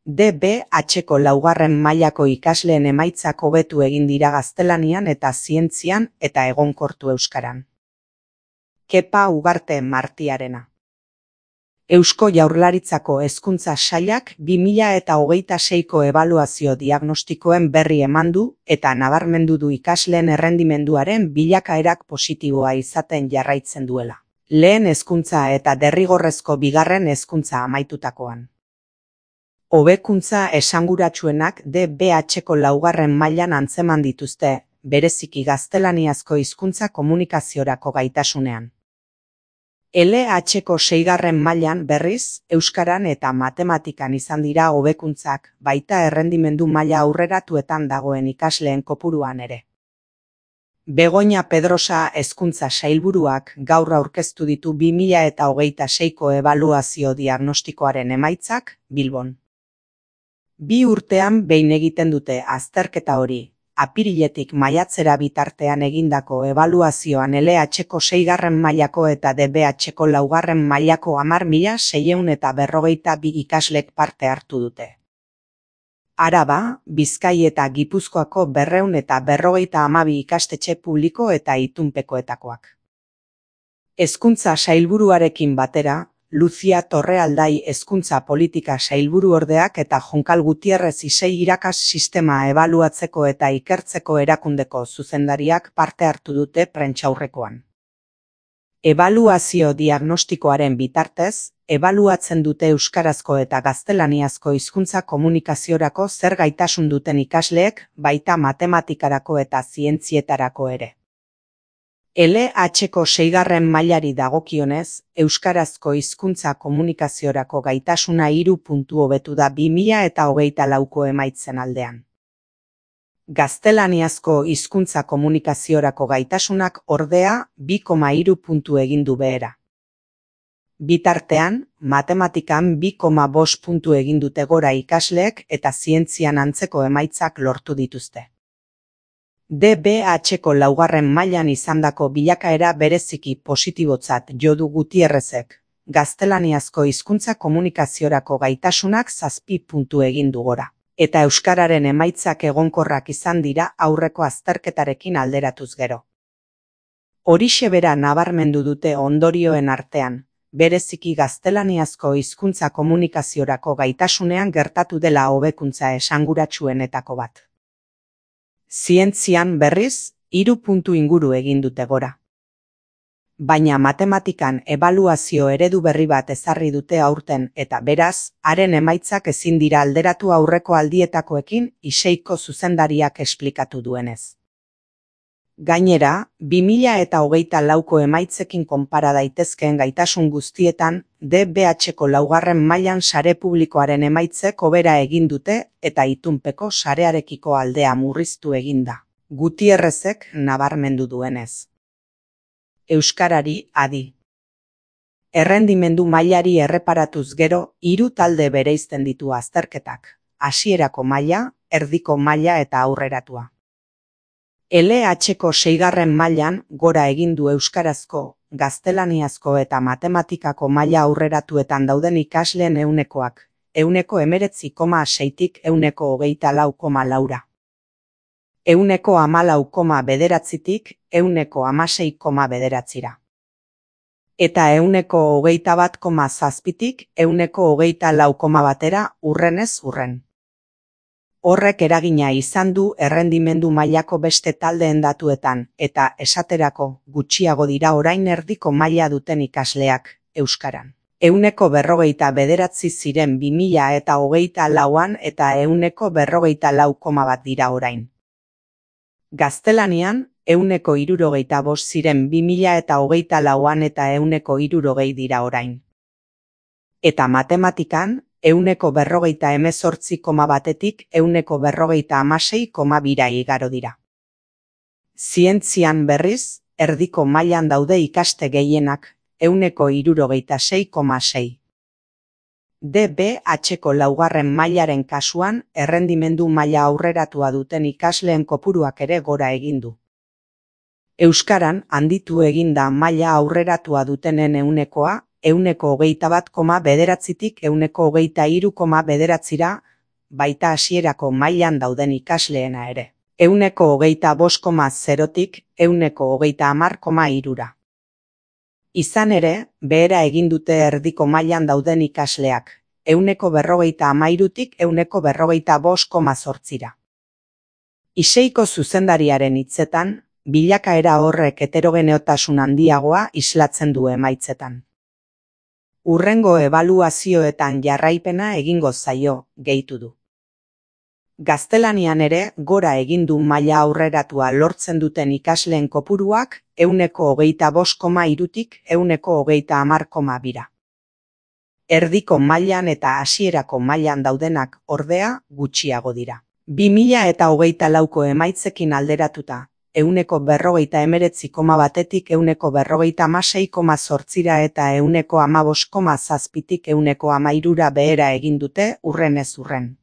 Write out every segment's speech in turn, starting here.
DBH-ko laugarren mailako ikasleen emaitzak hobetu egin dira gaztelanian eta zientzian eta egonkortu euskaran. Kepa Ugarte Martiarena. Eusko Jaurlaritzako Hezkuntza Sailak 2026ko ebaluazio diagnostikoen berri eman du eta nabarmendu du ikasleen errendimenduaren bilakaerak positiboa izaten jarraitzen duela. Lehen hezkuntza eta derrigorrezko bigarren hezkuntza amaitutakoan. Hobekuntza esanguratsuenak DBH-ko laugarren mailan antzeman dituzte, bereziki gaztelaniazko hizkuntza komunikaziorako gaitasunean. LH-ko seigarren mailan berriz, euskaran eta matematikan izan dira hobekuntzak, baita errendimendu maila aurreratuetan dagoen ikasleen kopuruan ere. Begoña Pedrosa hezkuntza sailburuak gaur aurkeztu ditu 2026ko ebaluazio diagnostikoaren emaitzak Bilbon. 2 urtean behin egiten dute azterketa hori. Apiriletik maiatzera bitartean egindako ebaluazioan LH-ko seigarren mailako eta DBH-ko laugarren mailako 10.642 ikaslek parte hartu dute. Araba, Bizkai eta Gipuzkoako 252 ikastetxe publiko eta itunpekoetakoak. Hezkuntza sailburuarekin batera, Lucia Torrealdai hezkuntza politika sailburuordeak eta Jonkal Gutierrez Isei irakas sistema ebaluatzeko eta ikertzeko erakundeko zuzendariak parte hartu dute prentsaurrekoan. Ebaluazio diagnostikoaren bitartez, ebaluatzen dute euskarazko eta gaztelaniazko hizkuntza komunikaziorako zer gaitasun duten ikasleek, baita matematikarako eta zientzietarako ere. LH-ko seigarren mailari dagokionez, euskarazko hizkuntza komunikaziorako gaitasuna 3 puntu hobetu da 2024ko emaitzen aldean. Gaztelaniazko hizkuntza komunikaziorako gaitasunak ordea 2,3 puntu egin du behera. Bitartean, matematikan 2,5 puntu egin dute gora ikasleek eta zientzian antzeko emaitzak lortu dituzte. DBH-ko laugarren mailan izandako bilakaera bereziki positibotzat jo du Gutierrezek, gaztelaniazko hizkuntza komunikaziorako gaitasunak 7 puntu egin du gora, eta euskararen emaitzak egonkorrak izan dira aurreko azterketarekin alderatuz gero. Horixe bera nabarmendu dute ondorioen artean, bereziki gaztelaniazko hizkuntza komunikaziorako gaitasunean gertatu dela hobekuntza esanguratsuenetako bat. Zientzian berriz, 3 puntu inguru egin dute gora. Baina matematikan ebaluazio eredu berri bat ezarri dute aurten eta beraz, haren emaitzak ezin dira alderatu aurreko aldietakoekin Iseiko zuzendariak esplikatu duenez. Gainera, 2024ko emaitzekin konpara daitezkeen gaitasun guztietan, DBH-ko laugarren mailan sare publikoaren emaitzek hobera egin dute eta itunpeko sarearekiko aldea murriztu eginda, Gutierrezek nabarmendu duenez. Euskarari adi. Errendimendu mailari erreparatuz gero, 3 talde bereizten ditu azterketak, hasierako maila, erdiko maila eta aurreratua. LH-ko seigarren mailan gora egin du euskarazko, gaztelaniazko eta matematikako maila aurreratuetan dauden ikasleen ehunekoak, 19,6tik 124,4. 114,9tik 116,9. Eta 121,7tik 124,1 urrenez urren. Horrek eragina izan du errendimendu mailako beste taldeen datuetan eta esaterako gutxiago dira orain erdiko maila duten ikasleak, euskaran. 149 ziren 2024an eta 144,1 dira orain. Gaztelanian, 165 ziren 2024an eta 160 dira orain. Eta matematikan, 148,1tik 146,2 igaro dira. Zientzian berriz, erdiko mailan daude ikaste gehienak, 166,6. DBH-ko laugarren mailaren kasuan, errendimendu maila aurreratua duten ikasleen kopuruak ere gora egin du. Euskaran handitu eginda maila aurreratua dutenen ehunekoa, 121,9tik 123,9 baita hasierako mailan dauden ikasleena ere. 25,0tik 130,3. Izan ere, behera egin dute erdiko mailan dauden ikasleak, 153tik 155,8. ISEIko zuzendariaren hitzetan, bilakaera horrek heterogeneotasun handiagoa islatzen du emaitzetan. Hurrengo ebaluazioetan jarraipena egingo zaio, gehitu du. Gaztelanian ere gora egin du maila aurreratua lortzen duten ikasleen kopuruak 25,3tik 130,2. Erdiko mailan eta hasierako mailan daudenak ordea gutxiago dira. 2024ko emaitzekin alderatuta, 149,1tik 156,8 eta 115,7tik 113 behera egin dute hurrenez hurren.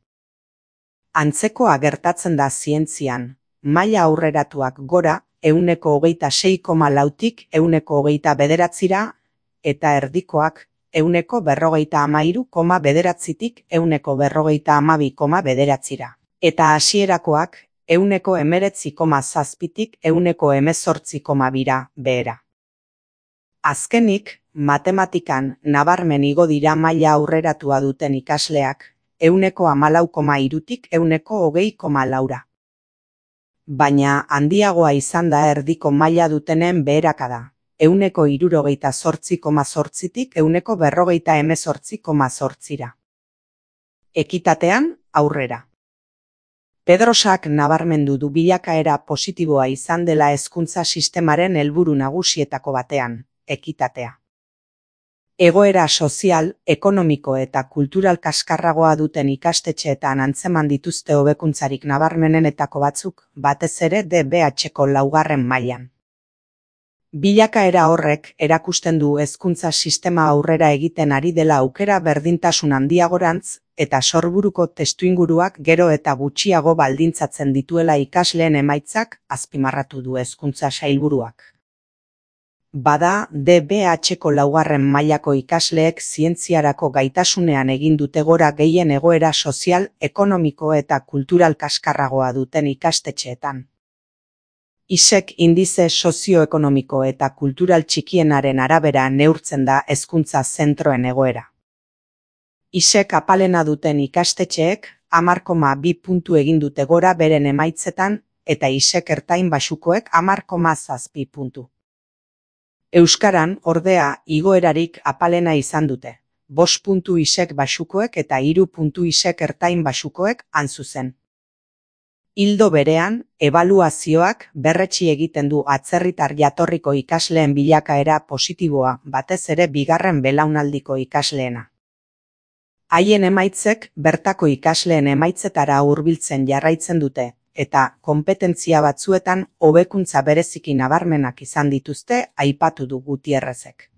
Antzekoa gertatzen da zientzian, maila aurreratuak gora 126,4tik 129 eta erdikoak 153,9tik 152,9. Eta hasierakoak 19,7tik 118,2 behera. Azkenik, matematikan nabarmen igo dira maila aurreratua duten ikasleak, 14,3tik 120,4. Baina handiagoa izan da erdiko maila dutenen beherakada, 168,8tik 158,8. Ekitatean, aurrera. Pedrosak nabarmendu du bilakaera positiboa izan dela hezkuntza sistemaren helburu nagusietako batean, ekitatea. Egoera sozial, ekonomiko eta kultural kaskarragoa duten ikastetxeetan antzeman dituzte hobekuntzarik nabarmenenetako batzuk, batez ere DBH-ko 4. mailan. Bilakaera horrek erakusten du hezkuntza sistema aurrera egiten ari dela aukera berdintasun handiagorantz eta sorburuko testuinguruak gero eta gutxiago baldintzatzen dituela ikasleen emaitzak azpimarratu du hezkuntza sailburuak. Bada, DBH-ko 4. mailako ikasleek zientziarako gaitasunean egin dute gora gehien egoera sozial, ekonomiko eta kultural kaskarragoa duten ikastetxeetan. ISEK indize sozioekonomiko eta kultural txikienaren arabera neurtzen da hezkuntza zentroen egoera. ISEK apalena duten ikastetxeek 10,2 puntu egin dute gora beren emaitzetan eta ISEK ertain baxukoek 10,7 puntu. Euskaran, ordea, igoerarik apalena izan dute, 5 puntu ISEK baxukoek eta 3 puntu ISEK ertain baxukoek han zuzen. Ildo berean, ebaluazioak berretsi egiten du atzerritar jatorriko ikasleen bilakaera positiboa, batez ere bigarren belaunaldiko ikasleena. Haien emaitzek bertako ikasleen emaitzetara hurbiltzen jarraitzen dute, eta konpetentzia batzuetan hobekuntza bereziki nabarmenak izan dituzte aipatu du Gutierrezek.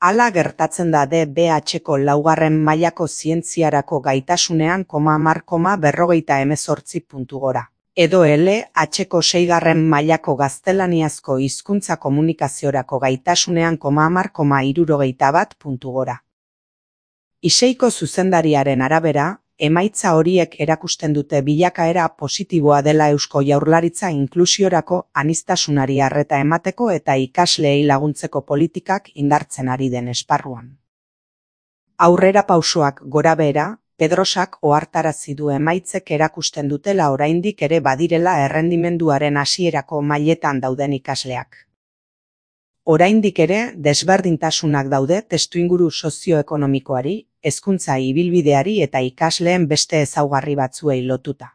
Hala gertatzen da DBH-ko 4. mailako zientziarako gaitasunean 10,48 puntu gora. Edo LH-ko 6. mailako gaztelaniazko hizkuntza komunikaziorako gaitasunean 10,71 puntu gora. ISEIko zuzendariaren arabera, emaitza horiek erakusten dute bilakaera positiboa dela Eusko Jaurlaritza inklusiorako aniztasunari arreta emateko eta ikasleei laguntzeko politikak indartzen ari den esparruan. Aurrera pausoak gorabehera, Pedrosak ohartarazi du emaitzek erakusten dutela oraindik ere badirela errendimenduaren hasierako mailetan dauden ikasleak. Oraindik ere desberdintasunak daude testuinguru sozioekonomikoari, hezkuntza ibilbideari eta ikasleen beste ezaugarri batzuei lotuta.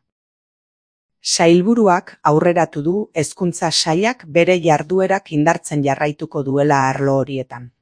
Sailburuak aurreratu du hezkuntza sailak bere jarduerak indartzen jarraituko duela arlo horietan.